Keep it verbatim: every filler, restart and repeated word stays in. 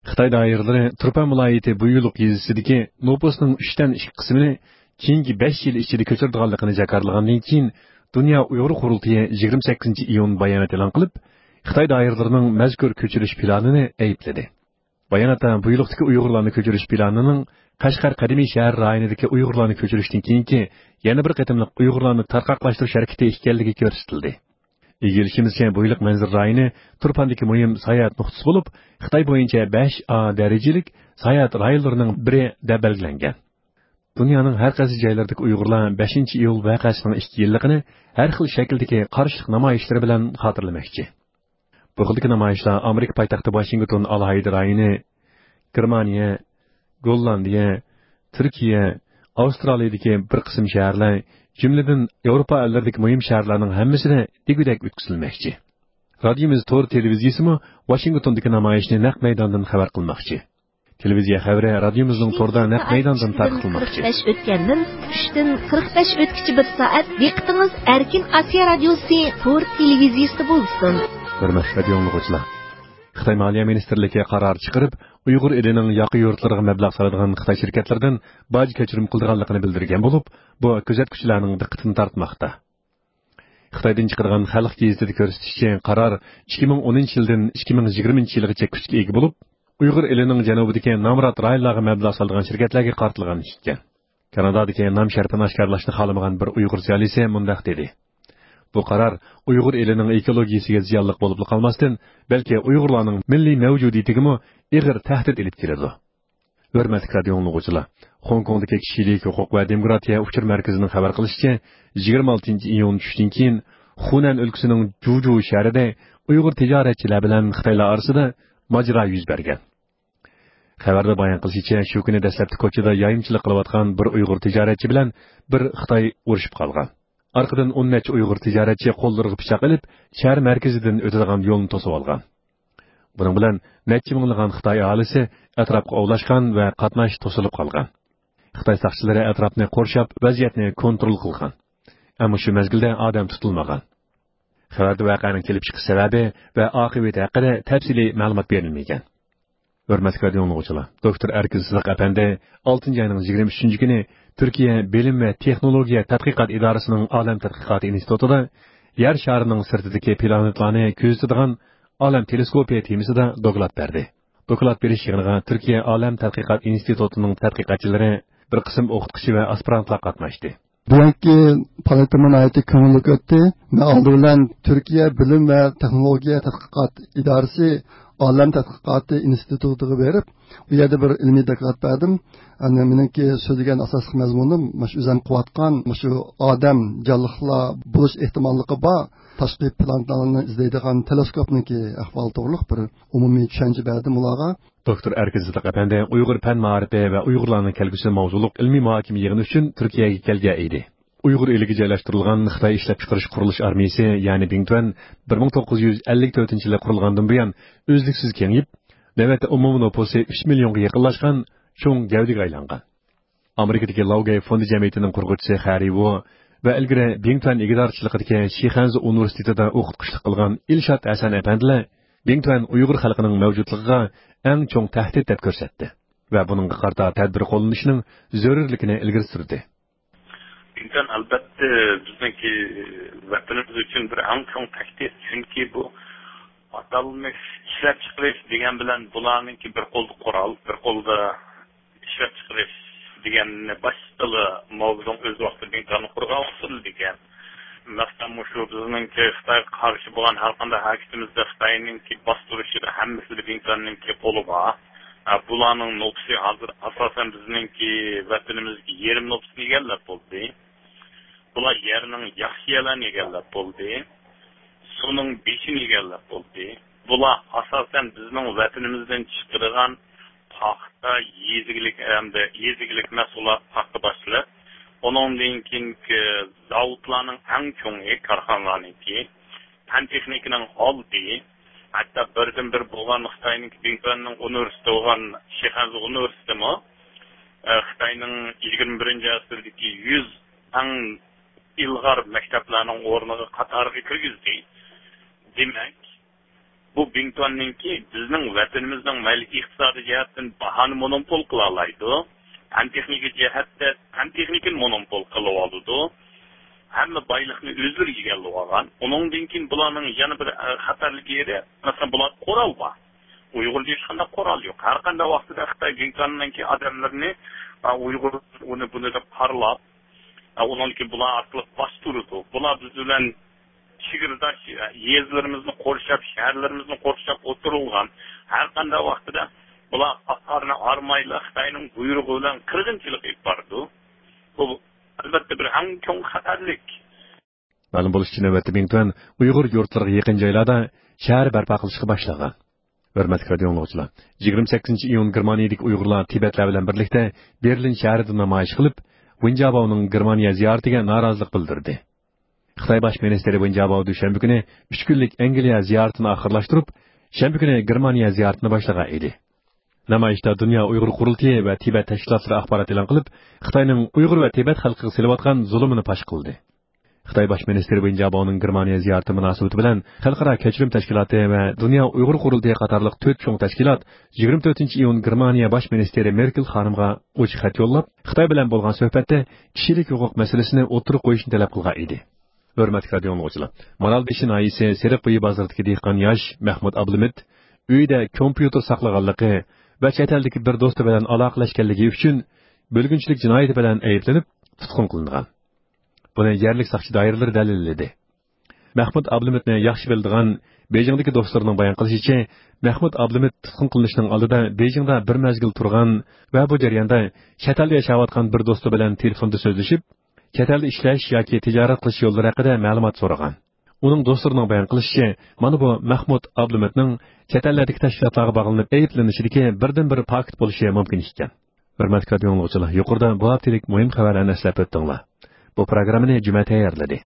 خىتاي دائىرىلىرى تۇرپان ۋىلايىتى بۇيلۇق يېزىسىدىكى نوپۇسنىڭ ئۈچتىن ئىككى قىسمىنى كېيىنكى بەش يىل ئىچىدە كۆچۈرىدىغانلىقىنى جاكارلىغاندىن كېيىن، دۇنيا ئۇيغۇر قۇرۇلتىيى يىگىرمە سەككىزىنچى ئىيۇن بايانات ئېلان قىلىپ، خىتاي دائىرىلىرىنىڭ مەزكۇر كۆچۈرۈش پىلانىنى ئەيىبلىدى. باياناتتا بۇيلۇقتىكى ئۇيغۇرلارنى كۆچۈرۈش پىلانىنىڭ قەشقەر قەدىمىي شەھەر رايونىدىكى ئۇيغۇرلارنى كۆچۈرۈشتىن كېيىنكى يەنە بىر قېتىملىق ئۇيغۇرلارنى تارقاقلاشتۇرۇش ھەرىكىتى ئىكەنلىكى كۆرسىتىلدى. ئىگىلىشىمىزچە، بۇيلۇق مەنزىرە رايونى تۇرپاندىكى مۇھىم ساياھەت نۇقتىسى بولۇپ، خىتاي بويىچە بەش ئا دەرىجىلىك ساياھەت رايونلىرىنىڭ بىرى دەپ بەلگىلەنگەن. دۇنيانىڭ ھەر قايسى جايلىرىدىكى ئۇيغۇرلار بەشىنچى ئىيۇل ۋەقەسىنىڭ ئىككى يىللىقىنى ھەر خىل شەكىلدىكى قارشىلىق نامايىشلىرى بىلەن خاتىرىلىمەكچى. بۇ خىلدىكى نامايىشلار ئامېرىكا پايتەختى ۋاشىنگتون ئالاھىدە رايونى، گېرمانىيە، گوللاندىيە، تۈركىيە، ئاۋسترالىيەدىكى بىر قىسىم شەھەرلەر، جۈملىدىن ياۋروپا ئەللىرىدىكى مۇھىم شەھەرلەرنىڭ ھەممىسىدە دېگۈدەك ئۆتكۈزۈلمەكچى. رادىيومىز تور تېلېۋىزىيىسىمۇ ۋاشىنگتوندىكى نامايىشنى نەق مەيداندىن خەۋەر قىلماقچى. تېلېۋىزىيە خەۋىرى رادىيومىزنىڭ توردا نەق مەيداندىن تارقىتىلماقچى. قىرىق بەش ئۆتكەندىن ئۈچتىن قىرىق بەش ئۆتكۈچە بىر سائەت دىققىتىڭىز ئەركىن ئاسىيا رادىيوسى تور تېلېۋىزىيىسىدە بولسۇن. ھۆرمەتلىك رادىيو ئاڭلىغۇچىلار! خىتاي مالىيە مىنىستىرلىكى قارار چىقىرىپ، ئۇيغۇر ئېلىنىڭ ياقا يۇرتلىرىغا مەبلەغ سالىدىغان خىتاي شىركەتلىرىدىن باج كەچۈرۈم قىلىدىغانلىقىنى بىلدۈرگەن بولۇپ، بۇ كۆزەتكۈچىلەرنىڭ دىققىتىنى تارتماقتا. خىتايدىن چىقىدىغان خەلق گېزىتىدە كۆرسىتىشىچە، قارار ئىككى مىڭ ئونىنچى يىلدىن ئىككى مىڭ يىگىرمىنچى يىلغىچە كۈچكە ئىگە بولۇپ، ئۇيغۇر ئېلىنىڭ جەنۇبىدىكى نامرات رايونلارغا مەبلەغ سالىدىغان شىركەتلەرگە قارىتىلغان ئىكەن. كانادادىكى نام شەرىپىنى ئاشكارىلاشنى خالىمىغان بىر ئۇيغۇر زىيالىيسى مۇنداق دېدى: بۇ قارار ئۇيغۇر ئېلىنىڭ ئېكولوگىيىسىگە زىيانلىق بولۇپلا قالماستىن، بەلكى ئۇيغۇرلارنىڭ مىللىي مەۋجۇدىيىتىگىمۇ ئېغىر تەھدىت ئېلىپ كېلىدۇ. ھۆرمەتلىك رادىيو ئاڭلىغۇچىلار، خوڭكوڭدىكى كىشىلىك ھوقۇق ۋە دېموكراتىيە ئۇچۇر مەركىزىنىڭ خەۋەر قىلىشىچە، يىگىرمە ئالتىنچى ئىيۇن چۈشتىن كېيىن خۇنەن ئۆلكىسىنىڭ جۇجۇ شەھىرىدە ئۇيغۇر تىجارەتچىلەر بىلەن خىتايلار ئارىسىدا ماجىرا يۈز بەرگەن. خەۋەردە بايان قىلىشىچە، شۇ كۈنى دەسلەپتە كوچىدا يايمىچىلىق قىلىۋاتقان بىر ئۇيغۇر تىجارەتچى بىلەن بىر خىتاي ئۇرۇشۇپ قالغان. ئارقىدىن ئون نەچچە ئۇيغۇر تىجارەتچى قوللىرىغا پىچاق ئېلىپ، شەھەر مەركىزىدىن ئۆتىدىغان يولنى توسۇۋالغان. بۇنىڭ بىلەن نەچچە مىڭلىغان خىتاي ئاھالىسى ئەتراپقا ئوۋلاشقان ۋە قاتناش توسۇلۇپ قالغان. خىتاي ساقچىلىرى ئەتراپنى قورشاپ، ۋەزىيەتنى كونترول قىلغان. ئەمما شۇ مەزگىلدە ئادەم تۇتۇلمىغان. خەۋەردە ۋەقەنىڭ كېلىپ چىقىش سەۋەبى ۋە ئاقىۋىتى ھەققىدە تەپسىلىي مەلۇمات بېرىلمىگەن. ھۆرمەتلىك رادىيو ئاڭلىغۇچىلار، دوكتور ئەركىن سىدىق ئەپەندى ئالتىنچى ئاينىڭ يىگىرمە ئۈچىنچى كۈنى تۈركىيە بىلىم ۋە تېخنولوگىيە تەتقىقات ئىدارىسىنىڭ ئالەم تەتقىقاتى ئىنستىتۇتىدا يەر شارىنىڭ سىرتىدىكى پلانېتىلارنى كۆزىتىدىغان ئالەم تېلېسكوپى تېمىسىدا دوكلات بەردى. دوكلات بېرىش يىغىنىغا تۈركىيە ئالەم تەتقىقات ئىنستىتۇتىنىڭ تەتقىقاتچىلىرى، بىر قىسىم ئوقۇتقۇچى ۋە ئاسپىرانتلار قاتناشتى. بۈگۈنكى پائالىيىتىمۇ ناھايىتى كۆڭۈللۈك ئۆتتى. مەن ئالدى بىلەن تۈركىيە بىلىم ۋە تېخنولوگىيە تەتقىقات ئىدارىسى ئالەم تەتقىقاتى ئىنستىتۇتىغا بېرىپ، ئۇ يەردە بىر ئىلمىي دوكلات بەردىم. يەنى مېنىڭكى سۆزلىگەن ئاساسلىق مەزمۇنۇم مۇشۇ ئۆزۈم قىلىۋاتقان، مۇشۇ ئادەم جانلىقلار بولۇش ئېھتىماللىقى بار تاشقى پلانېتالارنى ئىزدەيدىغان تېلېسكوپنىڭكى ئەھۋالى توغرۇلۇق بىر ئومۇمىي چۈشەنچە بەردىم ئۇلارغا. دوكتور ئەركىن سىدىق ئەپەندى ئۇيغۇر پەن مائارىپى ۋە ئۇيغۇرلارنىڭ كەلگۈسى ماۋزۇلۇق ئىلمىي مۇھاكىمە يىغىنى ئۈچۈن تۈركىيەگە كەلگەن ئىدى. ئۇيغۇر ئېلىگە جايلاشتۇرۇلغان خىتاي ئىشلەپچىقىرىش قۇرۇلۇش ئارمىيىسى، يەنى بىڭتۈەن، بىر مىڭ توققۇز يۈز ئەللىك تۆتىنچى يىلى قۇرۇلغاندىن بۇيان ئۈزلۈكسىز كېڭىيىپ، نۆۋەتتە ئومۇمىي نوپۇسى ئۈچ مىليونغا يېقىنلاشقان چوڭ گەۋدىگە ئايلانغان. ئامېرىكىدىكى لاۋگەي فوندى جەمئىيىتىنىڭ قۇرغۇچىسى خەررى ۋو ۋە ئىلگىرى بىڭتۈەن ئىگىدارچىلىقىدىكى شىخەنزۇ ئۇنىۋېرسىتېتىدا ئوقۇتقۇچىلىق قىلغان ئىلشات ھەسەن ئەپەندىلەر بىڭتۈەن ئۇيغۇر خەلقىنىڭ مەۋجۇتلۇقىغا ئەڭ چوڭ تەھدىت دەپ كۆرسەتتى ۋە بۇنىڭغا قارىتا تەدبىر قوللىنىشنىڭ زۆرۈرلۈكىنى ئىلگىرى سۈردى. بىڭتۈەن، ئەلۋەتتە، بىزنىڭكى ۋەتىنىمىز ئۈچۈن بىر ئەڭ چوڭ تەھدىت، چۈنكى بۇ ئاتالمىش ئىشلەپچىقىرىش دېگەن بىلەن بۇلارنىڭكى بىر قولدا قورال، بىر قولدا ئىشلەپچىقىرىش دېگەننى باشتىلا ماۋزېدۇڭ ئۆز ۋاقتىدا بىڭتۈەننى قۇرغان ئۇسۇل دېگەن. مەسىلەن، مۇشۇ بىزنىڭكى خىتايغا قارشى بولغان ھەر قانداق ھەرىكىتىمىزدە خىتاينىڭكى باستۇرۇشىدا ھەممىسىدە بىڭتۈەننىڭكى قولى بار. ئە، بۇلارنىڭ نوپۇسى ھازىر ئاساسەن بىزنىڭكى ۋەتىنىمىزدىكى يېرىم نوپۇسىنى ئىگىلەپ بولدى. بۇلار يەرنىڭ ياخشى يەرلەرنى ئىگىلەپ بولدى. سۇنىڭ بېشىنى ئىگىلەپ بولدى. بۇلار ئاساسەن بىزنىڭ ۋەتىنىمىزدىن چىقىدىغان پاختا، يېزا ئىگىلىك ھەمدە يېزا ئىگىلىك مەھسۇلات پاختا باشلىق. ئۇنىڭدىن كېيىنكى زاۋۇتلارنىڭ ئەڭ چوڭى، كارخانىلارنىڭكى، پەن تېخنىكىنىڭ ئالدى، ھەتتا بىردىنبىر بولغان خىتاينىڭكى بىڭتۈەننىڭ ئۇنىۋېرسىتېتى بولغان شىخەنزۇ ئۇنىۋېرسىتېتىمۇ، ئە، خىتاينىڭ يىگىرمە بىرىنچى ئەسىردىكى يۈز ئەڭ ئىلغار مەكتەپلەرنىڭ ئورنىغا، قاتارىغا كىرگۈزدى. دېمەك، بۇ بىڭتۈەننىڭكى بىزنىڭ ۋەتىنىمىزنىڭ مەيلى ئىقتىسادىي جەھەتتىن باھانى مونوپول قىلالايدۇ، پەن تېخنىكا جەھەتتە پەن تېخنىكىنى مونوپول قىلىۋالىدۇ، ھەممە بايلىقنى ئۆزلىرى ئىگىلىۋالغان. ئۇنىڭدىن كېيىن بۇلارنىڭ يەنە بىر، ئە، خەتەرلىك يېرى، مەسىلەن، بۇلار قورال بار. ئۇيغۇردا ھېچقانداق قورال يوق. ھەر قانداق ۋاقتىدا خىتاي بىڭتۈەننىڭكى ئادەملىرىنى، ئە، ئۇيغۇر ئۇنى بۇنى دەپ قارىلاپ، ئە، ئۇنىڭدىن كېيىن بۇلار ئارقىلىق باستۇرىدۇ. بۇلار بىز بىلەن چېگرىداش يېزىلىرىمىزنى قورشاپ، شەھەرلىرىمىزنى قورشاپ ئولتۇرۇلغان. ھەر قانداق ۋاقتىدا بۇلار ئاقارنى ئارمايلا خىتاينىڭ بۇيرۇقى بىلەن قىرغىنچىلىق ئېلىپ بارىدۇ. بۇ، ئەلۋەتتە، بىر ئەڭ چوڭ خەتەرلىك. مەلۇم بولۇشىچە، نۆۋەتتە بىڭتۈەن ئۇيغۇر يۇرتلىرىغا يېقىن جايلاردا شەھەر بەرپا قىلىشقا باشلىغان. ھۆرمەتلىك رادىئو ئاڭلىغۇچىلار، يىگىرمە سەككىزىنچى ئىيۇن گېرمانىيەدىكى ئۇيغۇرلار تىبەتلەر بىلەن بىرلىكتە بېرلىن شەھىرىدە نامايىش قىلىپ، ۋېن جياباۋنىڭ گېرمانىيە زىيارىتىگە نارازىلىق بىلدۈردى. خىتاي باش مىنىستىرى ۋېن جياباۋ دۈشەنبە كۈنى ئۈچ كۈنلۈك ئەنگلىيە زىيارىتىنى ئاخىرلاشتۇرۇپ، شەنبە كۈنى گېرمانىيە زىيارىتىنى باشلىغان ئىدى. نامايىشتا دۇنيا ئۇيغۇر قۇرۇلتىيى ۋە تىبەت تەشكىلاتلىرى ئاخبارات ئېلان قىلىپ، خىتاينىڭ ئۇيغۇر ۋە تىبەت خەلقىگە سېلىۋاتقان زۇلۇمىنى پاش قىلدى. خىتاي باش مىنىستىرى ۋېن جياباۋنىڭ گېرمانىيە زىيارىتى مۇناسىۋىتى بىلەن خەلقئارا كەچۈرۈم تەشكىلاتى ۋە دۇنيا ئۇيغۇر قۇرۇلتىيى قاتارلىق تۆت چوڭ تەشكىلات يىگىرمە تۆتىنچى ئىيۇن گېرمانىيە باش مىنىستىرى مېركېل خانىمغا ئوچۇق خەت يوللاپ، خىتاي بىلەن بولغان سۆھبەتتە كىشىلىك ھوقۇق مەسىلىسىنى ئوتتۇرىغا قويۇشنى تەلەپ قىلغان ئىدى. ھۆرمەتلىك رادىئو ئاڭلىغۇچىلار، مارالبېشى ناھىيەسى سېرىقبويى بازىرىدىكى دېھقان ياش مەھمۇت ئابلىمىت ئۆيىدە كومپيۇتېر ساقلىغانلىقى ۋە چەت ئەلدىكى بىر دوستى بىلەن ئالاقىلەشكەنلىكى ئۈچۈن بۆلگۈنچىلىك جىنايىتى بىلەن ئەيىبلىنىپ تۇتقۇن قىلىنغان. بۇنى يەرلىك ساقچى دائىرىلىرى دەلىللىدى. مەھمۇت ئابلىمىتنى ياخشى بىلىدىغان بېيجىڭدىكى دوستلىرىنىڭ بايان قىلىشىچە، مەھمۇت ئابلىمىت تۇتقۇن قىلىنىشنىڭ ئالدىدا بېيجىڭدا بىر مەزگىل تۇرغان ۋە بۇ جەرياندا چەت ئەلدە ياشاۋاتقان بىر دوستى بىلەن تېلېفوندا سۆزلىشىپ، چەت ئەلدە ئىشلەش ياكى تىجارەت قىلىش يوللىرى ھەققىدە مەلۇمات سورىغان. ئۇنىڭ دوستلىرىنىڭ بايان قىلىشىچە، مانا بۇ مەھمۇت ئابلىمىتنىڭ چەت ئەللەردىكى تەشكىلاتلارغا باغلىنىپ ئەيىبلىنىشىدىكى بىردىنبىر پاكىت بولۇشى مۇمكىن ئىكەن. ھۆرمەتلىك رادىئو ئاڭلىغۇچىلار، يۇقىرىدا بۇ ھەپتىلىك مۇھىم خەۋەرلەرنى ئەسلەپ ئۆتتۈڭلار. بۇ پروگراممىنى جۈمە تەييارلىدى.